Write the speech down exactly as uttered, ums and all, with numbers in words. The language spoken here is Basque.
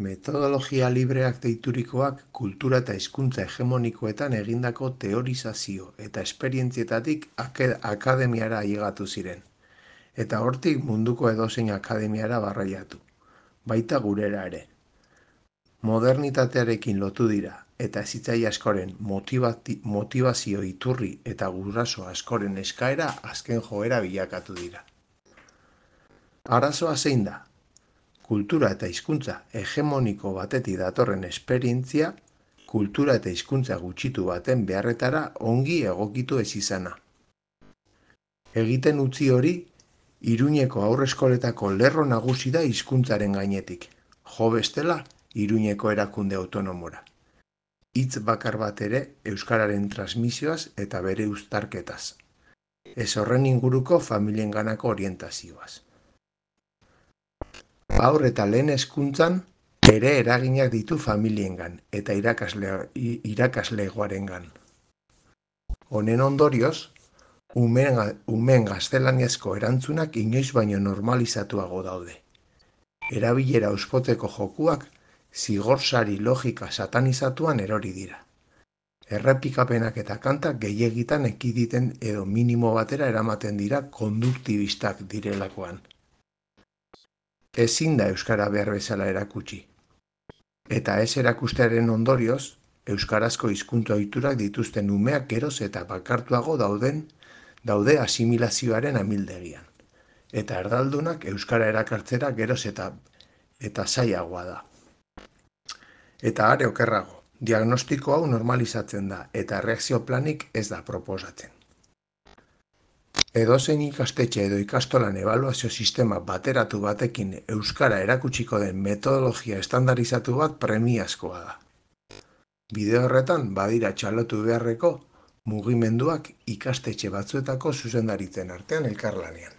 Metodologia libreak deiturikoak kultura eta hizkuntza hegemonikoetan egindako teorizazio eta esperientzietatik akademiara ailegatu ziren, eta hortik munduko edozein akademiara barraiatu, baita gurera ere. Modernitatearekin lotu dira, eta hezitzaile askoren motivazio iturri eta guraso askoren eskaera azken joera bilakatu dira. Arazoa zein da? Kultura eta hizkuntza hegemoniko batetik datorren esperientzia, kultura eta hizkuntza gutxitu baten beharretara ongi egokitu ez izana. Egiten utzi hori, Iruñeko haurreskoletako lerro nagusi da hizkuntzaren gainetik, jo bestela Iruñeko erakunde autonomora. Hitz bakar bat ere euskararen transmisioaz eta bere uztarketaz. Ez horren inguruko familienganako orientazioaz. Haur eta lehen hezkuntzan ere eraginak ditu familiengan eta irakasle, irakaslegoarengan. Honen ondorioz, umeen, umeen gaztelaniazko erantzunak inoiz baino normalizatuago daude. Erabilera auspotzeko jokuak zigorsari logika satanizatuan erori dira. Errepikapenak eta kantak gehiegitan ekiditen edo minimo batera eramaten dira konduktibistak direlakoan. Ezin da euskara behar bezala erakutsi. Eta ez erakustearen ondorioz, euskarazko hizkuntza ohiturak dituzten umeak geroz eta bakartuago dauden daude asimilazioaren amildegian. Eta erdaldunak euskara erakartzera geroz eta eta zailagoa da. Eta are okerrago, diagnostiko hau normalizatzen da eta erreakzio planik ez da proposatzen. Edozein ikastetxe edo ikastolan ebaluazio sistema bateratu batekin euskara erakutsiko den metodologia estandarizatu bat premiazkoa da. Bide horretan badira txalotu beharreko mugimenduak ikastetxe batzuetako zuzendaritzen artean elkarlanean.